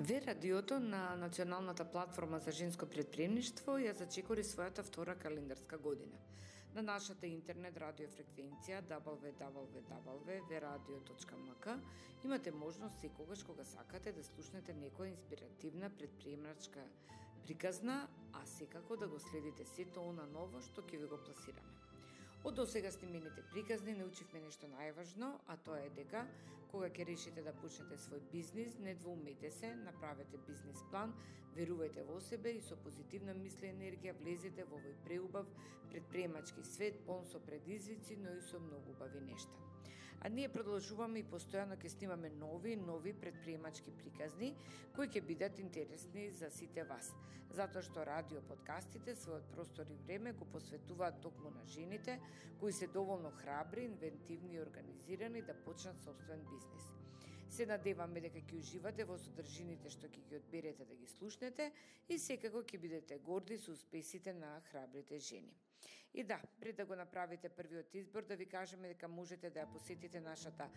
Ве радиото на Националната платформа за женско предприемништво ја зачекори својата втора календарска година. На нашата интернет радиофреквенција www.veradio.mk имате можност секогаш кога сакате да слушнете некоја инспиративна предприемачка приказна, а секако да го следите сето она ново што ќе ви го пласираме. Од досега снимените приказни научивме нешто најважно, а тоа е дека кога ќе решите да почнете свој бизнис, не двоумете се, направете бизнис план, верувајте во себе и со позитивна мисла и енергија влезете во овој преубав предприемачки свет, полн со предизвици, но и со многу убави нешта. А ние продолжуваме и постојано ќе снимаме нови предприемачки приказни кои ќе бидат интересни за сите вас, затоа што радио подкастите својот простор и време го посветуваат токму на жените кои се доволно храбри, инвентивни и организирани да почнат сопствен бизнис. Се надеваме дека ќе уживате во содржините што ќе ги одберете да ги слушнете и секако ќе бидете горди со успесите на храбрите жени. И да, пред да го направите првиот избор, да ви кажеме дека можете да ја посетите нашата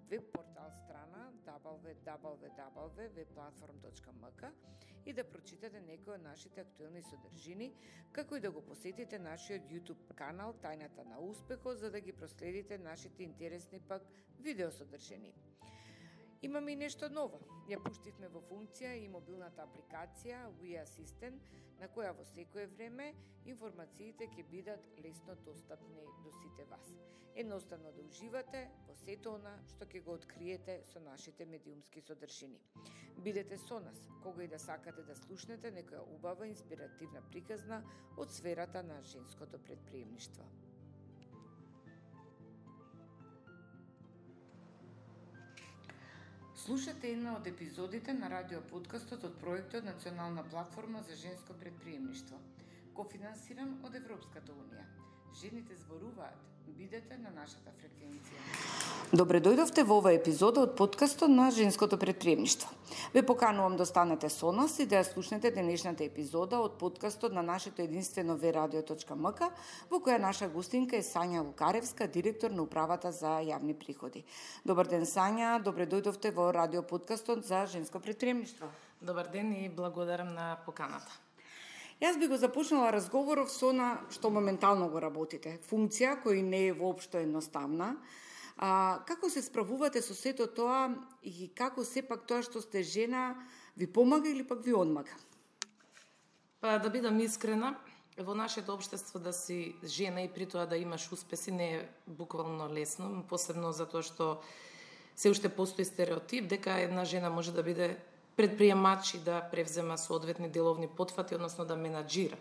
веб-портал страна www.webplatform.mk и да прочитате некои од нашите актуелни содржини, како и да го посетите нашиот YouTube канал Тајната на успехот, за да ги проследите нашите интересни пак видеосодржини. Имаме и нешто ново. Ја пуштивме во функција и мобилната апликација We Assistant, на која во секое време информациите ќе бидат лесно достапни до сите вас. Едноставно да уживате во сето она што ќе го откриете со нашите медиумски содржини. Бидете со нас, кога и да сакате да слушнете некоја убава инспиративна приказна од сферата на женското предприемништво. Слушате една од епизодите на радиоподкастот од проектот Национална платформа за женско предприемништво, кофинансиран од Европската унија. Жените зборуваат. Бидете на нашата фреквенција. Добре дојдовте во оваа епизода од подкастот на женското предприемништво. Ве поканувам да останете со нас и да ја слушнете денешната епизода од подкастот на нашето единствено veradio.mk, во која наша гостинка е Сања Лукаревска, директор на управата за јавни приходи. Добар ден, Сања, добре дојдовте во радиоподкастот за женско предприемништво. Добар ден и благодарам на поканата. Јас би го започнала разговоров со на што моментално го работите. Функција која не е воопшто едноставна. Како се справувате со сето тоа и како сепак тоа што сте жена ви помага или пак ви одмага? Па да бидам искрена, во нашето општество да си жена и при тоа да имаш успеси не е буквално лесно, посебно затоа што се уште постои стереотип дека една жена може да биде предприемач и да превзема соодветни деловни потфати, односно да менаџира.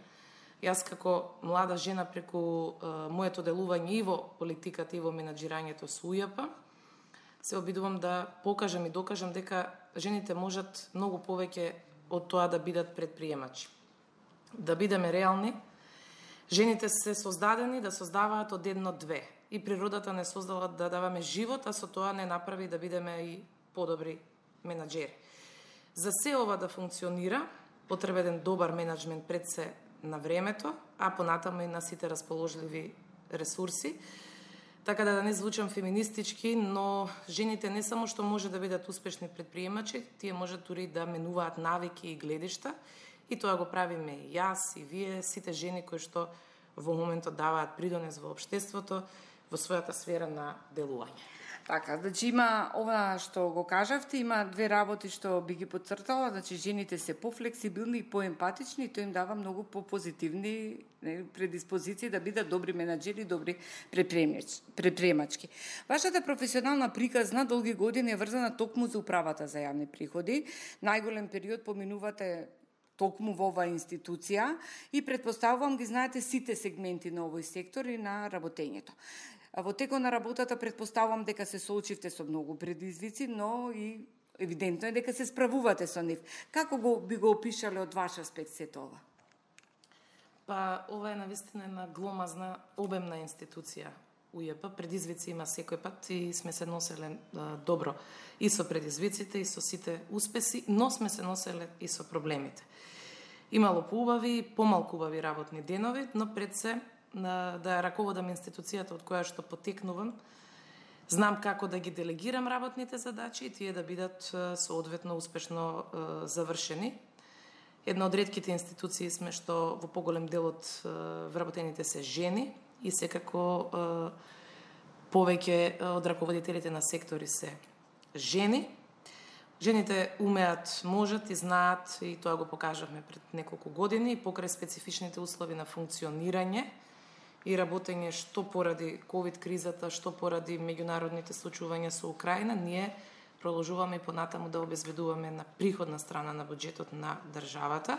Јас како млада жена преку моето делување и во политиката и во менаџирањето со УЈП се обидувам да покажам и докажам дека жените можат многу повеќе од тоа да бидат предприемачи. Да бидеме реални, жените се создадени да создаваат од едно-две. И природата не создала да даваме живот, а со тоа не направи да бидеме и подобри менаџери. За се ова да функционира, потребен добар менеджмент пред се на времето, а понатаму и на сите расположливи ресурси. Така да не звучам феминистички, но жените не само што може да бидат успешни предприемачи, тие можат дури да менуваат навики и гледишта, и тоа го правиме и јас, и вие, сите жени кои што во моментот даваат придонес во општеството, во својата сфера на делување. Така, значи има ова што го кажавте, има две работи што би ги подцртала, значи жените се пофлексибилни и поемпатични и тоа им дава многу попозитивни предиспозиции да бидат добри менаџери, добри предприемачки. Вашата професионална приказна долги години е врзана токму за управата за јавни приходи. Најголем период поминувате токму во оваа институција и претпоставувам ги знаете сите сегменти на овој сектор и на работењето. Во текот на работата претпоставувам дека се соочивте со многу предизвици, но и евидентно е дека се справувате со нив. Како би го опишале од ваш аспект сето ова? Па ова е навистина една гломазна, обемна институција УЈП. Предизвици има секој пат и сме се носеле добро и со предизвиците и со сите успеси, но сме се носеле и со проблемите. Имало поубави и помалку убави работни денови, но пред се да ја раководам институцијата од која што потекнувам, Знам како да ги делегирам работните задачи и тие да бидат соодветно успешно завршени. Една од ретките институции сме што во поголем дел од вработените се жени и секако повеќе од раководителите на сектори се жени. Жените умеат, можат и знаат, и тоа го покажавме пред неколку години, покрај специфичните услови на функционирање и работење што поради ковид кризата, што поради меѓународните случувања со Украина, ние продолжуваме и понатаму да обезбедуваме на приходна страна на буџетот на државата.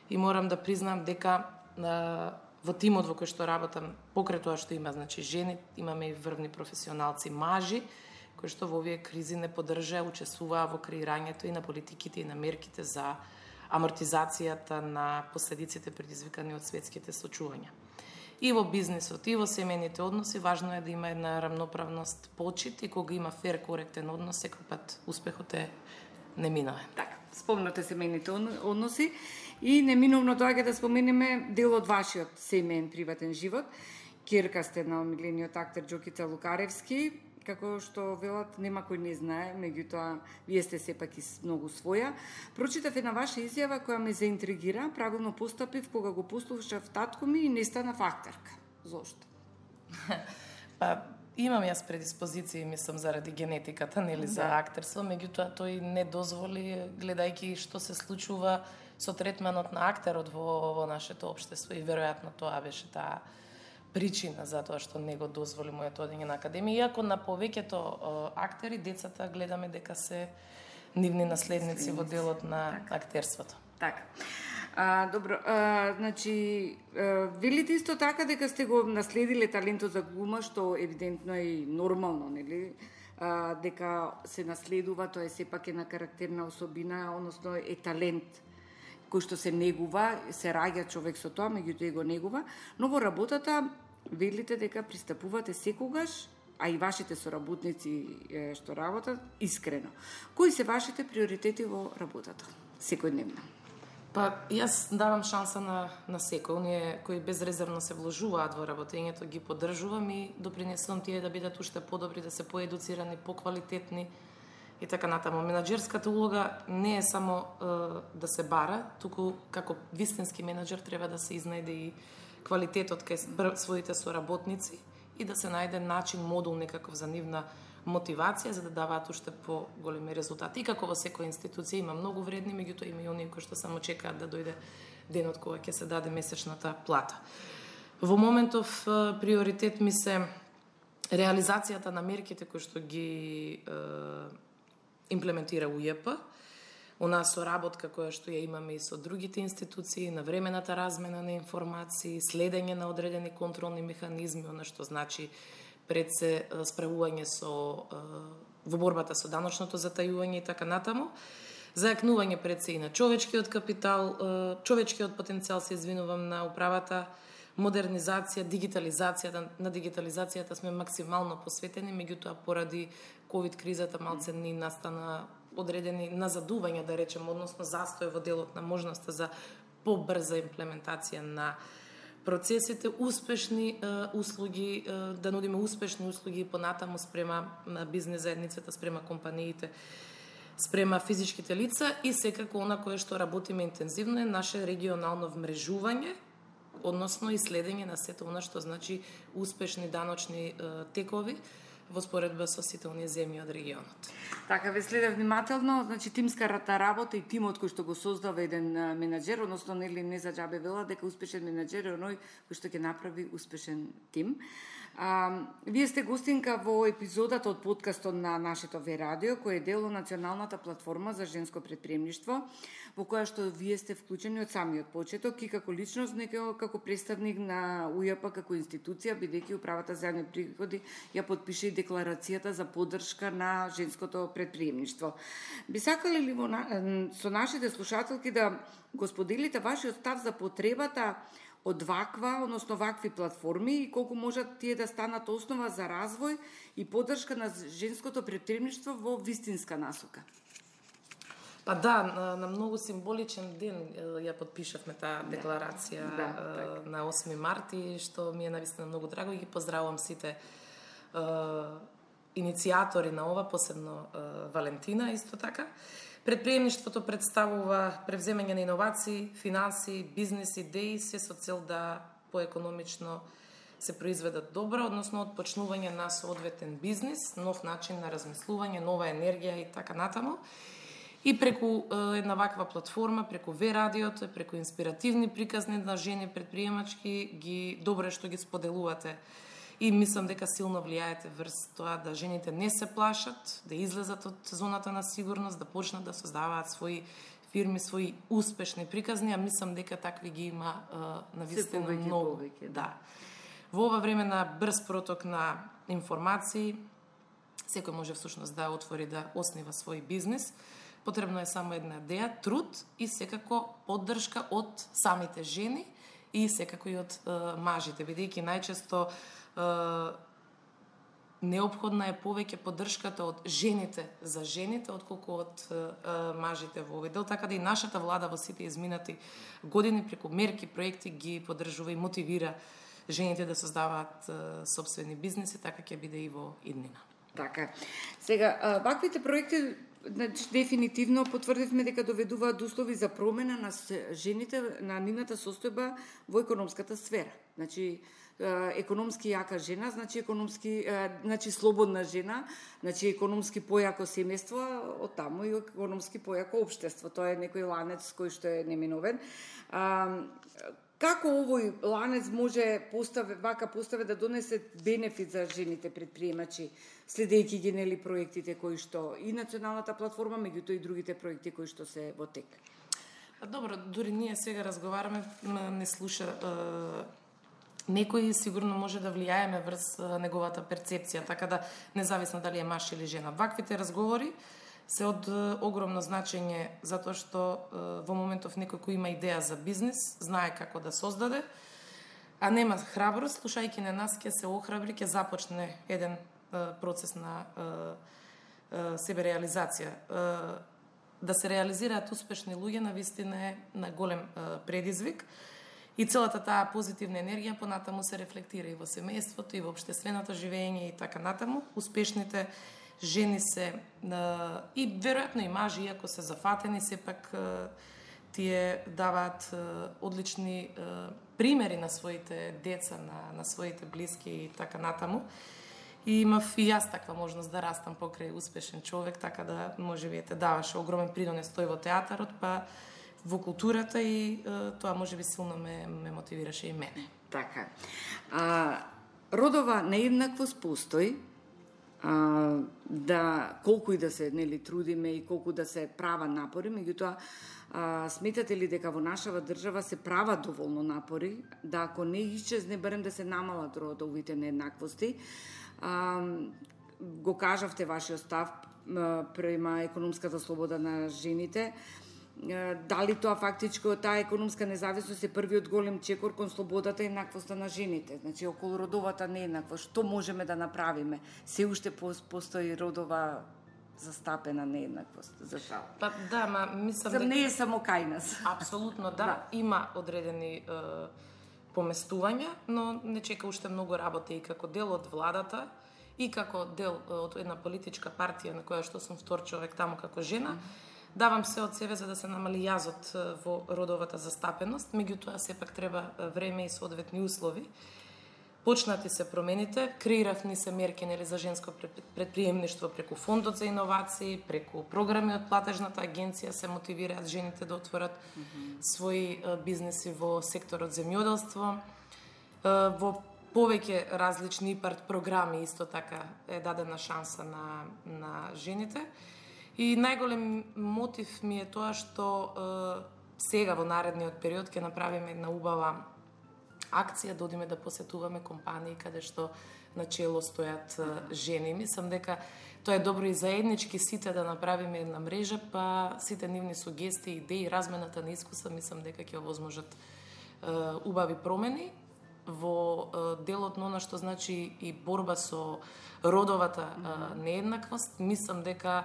И морам да признам дека во тимот во кој што работам, покрај тоа што има, значи жени, имаме и врвни професионалци мажи, кои што во овие кризи не поддржаа, учествуваа во креирањето и на политиките и на мерките за амортизацијата на последиците предизвикани од светските случувања. И во бизнисот, и во семејните односи, важно е да има една рамноправност, почит и кога има фер, коректен однос, секој пат успехот е неминовен. Така, спомнате семејните односи и неминовно доаѓа да споменеме дел од вашиот семеен приватен живот. Ќерка сте на омилениот актер Џокица Лукаревски, како што велат, нема кој не знае, меѓутоа вие сте сепак и многу своја. Прочитав една ваша изјава која ме заинтригира, правилно постапив кога го послушав татко ми и не станав актерка. Зошто? Па, имам јас предиспозиции, мислам, заради генетиката, нели, за актерство, меѓутоа тој не дозволи, гледајќи што се случува со третманот на актерот во нашето општество и веројатно тоа беше таа причина за тоа што не го дозволи моето одење на академија, иако на повеќето актери децата гледаме дека се нивни наследници во делот на актерството. Така. Добро, значи, велите исто така дека сте го наследиле талентот за глума, што евидентно е и нормално, нели? Дека се наследува, тоа е сепак една карактерна особина, односно е талент кој што се негува, се раѓа човек со тоа, меѓутоа и го негува, но во работата велите дека пристапувате секогаш, а и вашите соработници што работат, искрено. Кои се вашите приоритети во работата, секојдневно? Па, јас давам шанса на секој, оние кои безрезервно се вложуваат во работењето, ги поддржувам и допринесувам тие да бидат уште подобри, да се поедуцирани, поквалитетни, и така натаму. Менаџерската улога не е само да се бара, туку како вистински менаџер треба да се изнајде и квалитетот кај своите соработници и да се најде начин, модул некаков за нивна мотивација за да даваат уште поголеми резултати. И како во секоја институција има многу вредни, меѓутоа има и оние кои што само чекаат да дојде денот кога ќе се даде месечната плата. Во моментов приоритет ми се реализацијата на мерките кои што ги имплементира УЈП, она соработка која што ја имаме и со другите институции, на времената размена на информации, следење на одредени контролни механизми, она што значи пред се справување во борбата со даночното затајување и така натаму, зајакнување пред се и на човечкиот капитал, човечкиот потенцијал, се извинувам, на управата, модернизација, дигитализацијата. На дигитализацијата сме максимално посветени, меѓутоа поради ковид кризата малце ни настана одредени назадувања, да речем, односно застој во делот на можноста за побрза имплементација на процесите, успешни услуги, да нудиме успешни услуги понатаму спрема бизнес заедницата, спрема компаниите, спрема физичките лица и секако она кое што работиме интензивно е наше регионално вмрежување, односно и следење на сето она што значи успешни даночни текови во споредба со сите оние земји од регионот. Така, ве следев внимателно, значи тимската работа и тимот кој што го создава еден менаџер, односно нели не за џабе вела дека успешен менаџер е оној кој што ќе направи успешен тим. Вие сте гостинка во епизодата од подкастот на нашето ВЕ радио, кој е дел од националната платформа за женско претприемништво, во која што вие сте вклучени од самиот почеток и како личност, како представник на УЈП како институција, бидејќи управата за јавни приходи ја потпише и декларацијата за поддршка на женското претприемништво. Би сакале ли со нашите слушателки да го споделите вашиот став за потребата од вакви платформи и колку можат тие да станат основа за развој и поддршка на женското претприемништво во вистинска насока? Па да, на многу символичен ден ја подпишавме таа декларација на 8 март, што ми е навистина многу драго и ги поздравувам сите иницијатори на ова, посебно Валентина исто така. Предприемништвото представува превземање на иновации, финанси, бизнес идеи, се со цел да поекономично се произведат добро, односно отпочнување на соодветен бизнес, нов начин на размислување, нова енергија и така натаму. И преку една ваква платформа, преку В-радиото, преку инспиративни приказни на жени предприемачки, добро што ги споделувате. И мислам дека силно влијаете врз тоа да жените не се плашат, да излезат од зоната на сигурност, да почнат да создаваат своји фирми, своји успешни приказни, а мислам дека такви ги има навистина многу. Да. Во ова време на брз проток на информации, секој може всушност да отвори да оснива свој бизнес. Потребно е само една идеја, труд и секако поддршка од самите жени и секако и од мажите, бидејќи најчесто неопходна е повеќе поддршката од жените за жените, отколку од мажите во овој дел, така да и нашата влада во сите изминати години преку мерки, проекти ги поддржува и мотивира жените да создаваат сопствени бизнеси, така ќе биде и во иднина. Така. Сега, ваквите проекти дефинитивно потврдивме дека доведуваат услови за промена на жените, на нивната состојба во економската сфера. Значи, економски јака жена, значи слободна жена, значи економски појако семејство, оттаму и економски појако општество. Тоа е некој ланец кој што е неминовен. Како овој ланец може вака поставе да донесе бенефит за жените предприемачи, следејќи ги нели проектите кои што и националната платформа, меѓутоа и другите проекти кои што се во тек? Добро, дури ние сега разговараме, не слуша некој, сигурно може да влијаеме врз неговата перцепција, така да независно дали е маж или жена. Ваквите разговори се од огромно значење, затоа што во моментов некој кој има идеја за бизнес, знае како да создаде, а нема храброст, слушајќи на нас ќе се охрабри, ќе започне еден процес на себе реализација. Да се реализираат успешни луѓе навистина е на голем предизвик и целата таа позитивна енергија понатаму се рефлектира и во семејството, и во општественото живење и така натаму. Успешните жени се и веројатно и мажи, иако се зафатени, сепак тие даваат одлични примери на своите деца, на своите блиски и така натаму. И имав и јас таква можност да растам покрај успешен човек, така да можеби даваше огромен принос тој во театарот, па во културата и тоа можеби силно ме мотивираше и мене. Така. Родова нееднаквост постои, да колку и да се нели трудиме и колку да се права напори, меѓутоа сметате ли дека во нашава држава се прават доволно напори да ако не исчезне барем да се намалат родовите нееднаквости? Го кажавте вашиот став према економската слобода на жените. Дали тоа фактичко, таа економска независност е првиот голем чекор кон слободата и еднаквоста на жените? Значи, околу родовата нееднаквост, што можеме да направиме? Се уште постои родова застапена нееднаквост, за жал. Па да, мислам дека не е само кај нас. Апсолутно да, има одредени поместувања, но не чека уште многу работа и како дел од владата и како дел од една политичка партија на која што сум втор човек таму како жена. Давам се од себе за да се намали јазот во родовата застапеност, меѓутоа сепак треба време и соодветни услови. Почнати се промените, креиравни се мерки нели за женско предприемништво преку фондот за иновации, преку програми од платежната агенција се мотивираат жените да отворат своји бизнеси во секторот земјоделство. Во повеќе различни ИПАРТ програми исто така е дадена шанса на жените. И најголем мотив ми е тоа што сега во наредниот период ќе направиме една убава акција, да одиме да посетуваме компании каде што начело стојат жени. Мислам дека тоа е добро и заеднички сите да направиме една мрежа, па сите нивни сугестии, идеи, размената на искуства, мислам дека ќе овозможат убави промени во делот на она што значи и борба со родовата нееднаквост. Мислам дека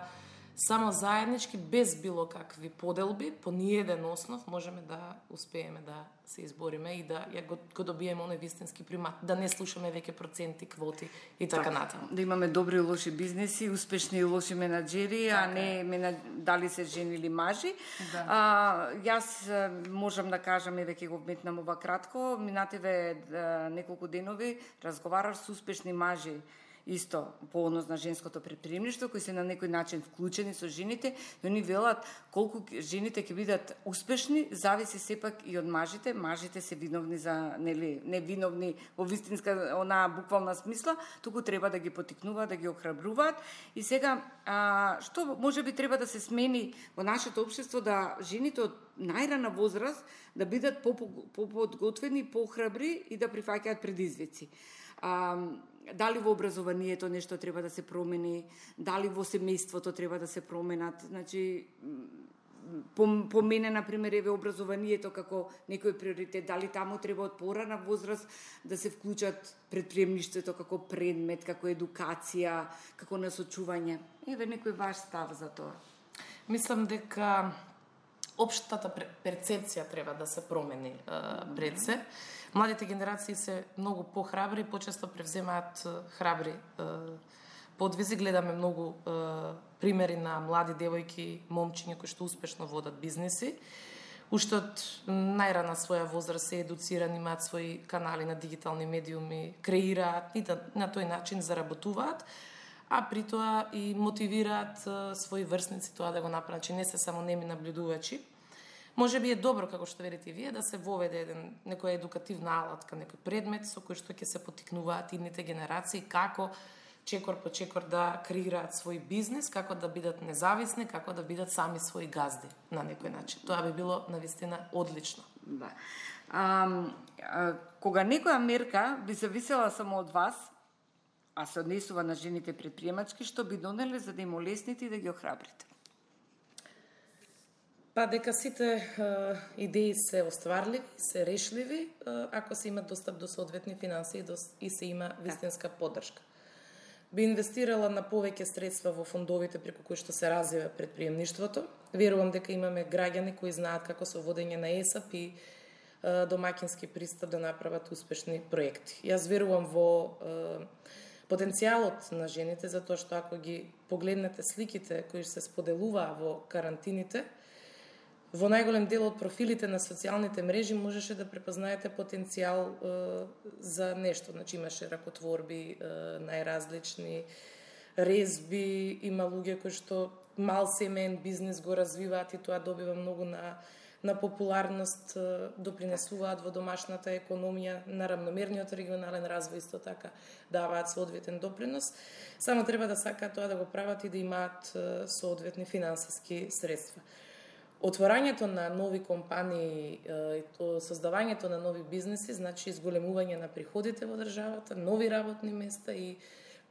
само заеднички, без било какви поделби, по ниеден основ можеме да успееме да се избориме и да го добиеме оној вистински примат, да не слушаме веќе проценти, квоти и така натаму. Да имаме добри и лоши бизнеси, успешни и лоши менаџери, а не дали се жени или мажи. Да. Јас можам да кажам, еве ќе го вметнам ова кратко, минативе неколку денови разговарав со успешни мажи исто по однос на женското претприемништво, кои се на некој начин вклучени со жените, и они велат колку жените ќе бидат успешни, зависи сепак и од мажите. Мажите се виновни за, не виновни во вистинска, онаа буквална смисла, туку треба да ги потикнуваат, да ги охрабруваат. И сега, што можеби треба да се смени во нашето општество, да жените од најрана возраст да бидат поподготвени, поохрабри и да прифаќаат предизвици. Дали во образованието нешто треба да се промени, дали во семејството треба да се променат. Значи, по мене, например, еве образованието како некој приоритет, дали таму треба од порана возраст да се вклучат претприемништвото како предмет, како едукација, како насочување. Еве некој ваш став за тоа. Мислам дека општата перцепција треба да се промени пред се. Младите генерации се многу похрабри и почесто превземаат храбри подвизи. Гледаме многу примери на млади девојки, момчиња кои што успешно водат бизнеси. Уште од најрана своја возраст се едуцирани, имаат своји канали на дигитални медиуми, креираат и на тој начин заработуваат, а при тоа и мотивираат своји врсници тоа да го направат. Значи не се само неми наблюдувачи. Може би е добро, како што велите и вие, да се воведе некоја едукативна алатка, некој предмет со кој што ќе се потикнуваат идните генерации, како чекор по чекор да креираат свој бизнес, како да бидат независни, како да бидат сами своји газди на некој начин. Тоа би било навистина одлично. Да. Кога некоја мерка би зависела само од вас, а се однесува на жените предприемачки, што би донеле за да им олесните и да ги охрабрите? Па дека сите идеи се остварливи, се решливи, ако се има достап до соодветни финансии и се има вистинска поддршка. Би инвестирала на повеќе средства во фондовите преку кои што се развива предприемништвото. Верувам дека имаме граѓани кои знаат како со водење на ЕСАП и домаќински пристап да направат успешни проекти. Јас верувам во потенцијалот на жените, затоа што ако ги погледнете сликите кои се споделуваа во карантините, во најголем дел од профилите на социјалните мрежи можеше да препознаете потенцијал за нешто. Значи имаше ракотворби, најразлични резби, има луѓе кои што мал семеен бизнес го развиваат и тоа добива многу на популарност, допринесуваат во домашната економија, на рамномерниот регионален развој исто така даваат соодветен допринос. Само треба да сакаат тоа да го прават и да имаат соодветни финансиски средства. Отворањето на нови компании и создавањето на нови бизнеси значи изголемување на приходите во државата, нови работни места и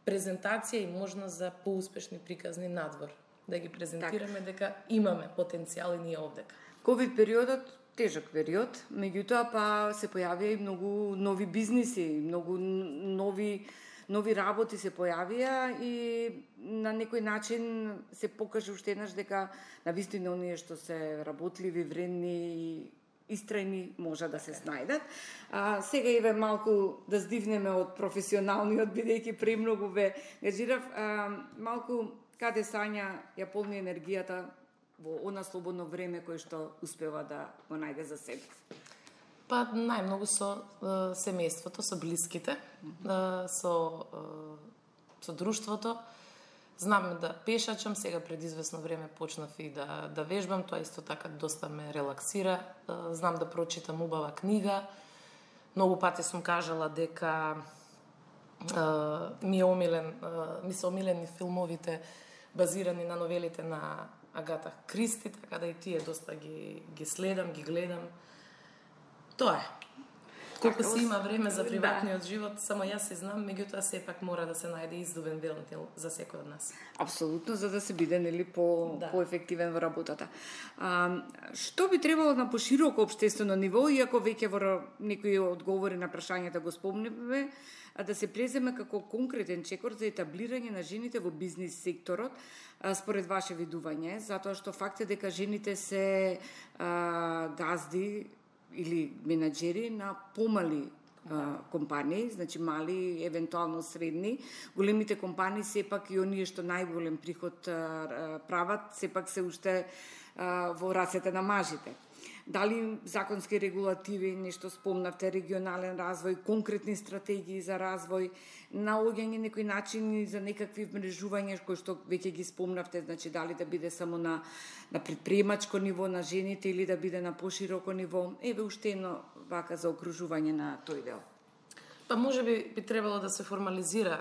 презентација и можност за поуспешни приказни надвор. Да ги презентираме дека имаме потенцијал и ние овдека. Ковид периодот тежок период, меѓутоа па се појавија и многу нови бизниси, многу нови работи се појавија и на некој начин се покаже уште еднаш дека навистина оние што се работливи, вредни и истрајни можат да се снајдат. Сега еве малку да здивнеме од професионалниот, бидејќи премногу ве гажирав, малку каде Сања ја полни енергијата во она слободно време кое што успева да го најде за себе? Па најмногу со семејството, со блиските, со друштвото. Знам да пешачам, сега пред известно време почнав и да вежбам, тоа исто така доста ме релаксира. Знам да прочитам убава книга. Многу пати сум кажала дека ми се омилени филмовите базирани на новелите на Агата Кристи, така да и тие доста ги следам, ги гледам. Тоа е. Колку си има време за приватниот живот, само јас се знам, меѓутоа сепак мора да се најде издубен велтел за секој од нас. Апсолутно, за да се биде нели поефективен во работата. Што би требало на пошироко општествено ниво, иако веќе во некои одговори на прашањата го спомневме, да се преземе како конкретен чекор за етаблирање на жените во бизнис секторот, според ваше видување, затоа што факт е дека жените се газди или менаџери на помали компании, значи мали, евентуално средни. Големите компании сепак и оние што најголем приход прават, сепак се уште во рацете на мажите. Дали законски регулативи, нешто спомнавте, регионален развој, конкретни стратегии за развој, наоѓање некои начини за некакви мрежувања кои што веќе ги спомнавте, значи дали да биде само на предприемачко ниво на жените или да биде на пошироко ниво. Еве уште едно вака за окружување на тој дел. Па можеби би требало да се формализира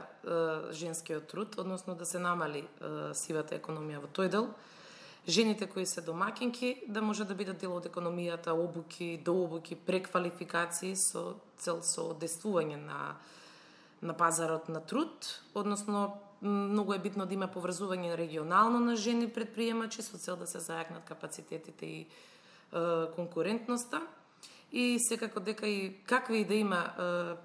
женскиот труд, односно да се намали сивата економија во тој дел. Жените кои се домакинки да може да бидат дел од економијата, обуки, дообуки, преквалификации со цел со одействување на пазарот на труд, односно многу е битно да има поврзување регионално на жени предприемачи со цел да се зајакнат капацитетите и конкурентноста. И секако дека и какви и да има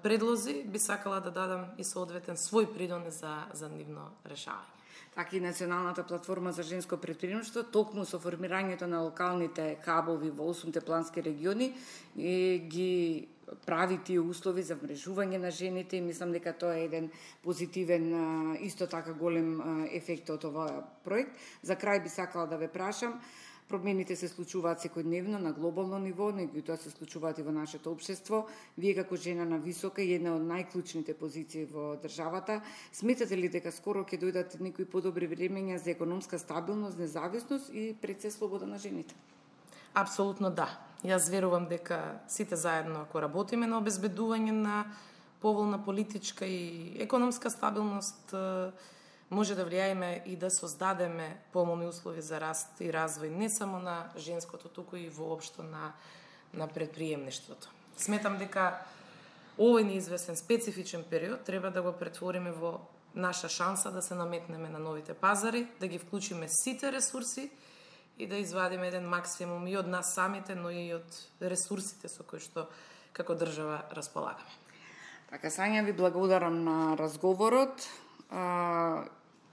предлози, би сакала да дадам и соодветен свој придонес за нивно решавање. Така и Националната платформа за женско предприемништво, токму со формирањето на локалните хабови во 8 плански региони, ги прави тие услови за мрежување на жените и мислам дека тоа е еден позитивен, исто така голем ефект од овој проект. За крај би сакала да ве прашам, промените се случуваат секојдневно на глобално ниво, тоа се случуваат и во нашето општество. Вие како жена на висока и една од најклучните позиции во државата, сметате ли дека скоро ќе дојдат некои подобри времења за економска стабилност, независност и пред се слобода на жените? Апсолутно да. Јас верувам дека сите заедно ако работиме на обезбедување на поволна политичка и економска стабилност, може да влијаеме и да создадеме помални услови за раст и развој не само на женското, туку и воопшто на предприемништвото. Сметам дека овој неизвестен специфичен период треба да го претвориме во наша шанса да се наметнеме на новите пазари, да ги вклучиме сите ресурси и да извадиме еден максимум и од нас самите, но и од ресурсите со кои што како држава располагаме. Така, Сања, ви благодарам на разговорот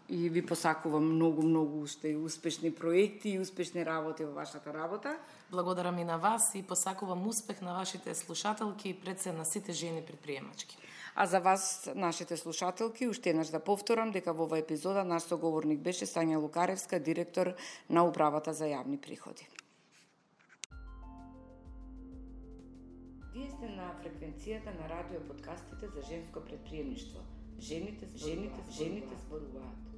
и ви посакувам многу уште и успешни проекти и успешни работи во вашата работа. Благодарам и на вас и посакувам успех на вашите слушателки и пред се на сите жени предприемачки. А за вас, нашите слушателки, уште еднаш да повторам дека во оваа епизода наш соговорник беше Сања Лукаревска, директор на Управата за јавни приходи. Вие сте на фреквенцијата на радио подкастите за женско предприемништво. Жените зборуваат.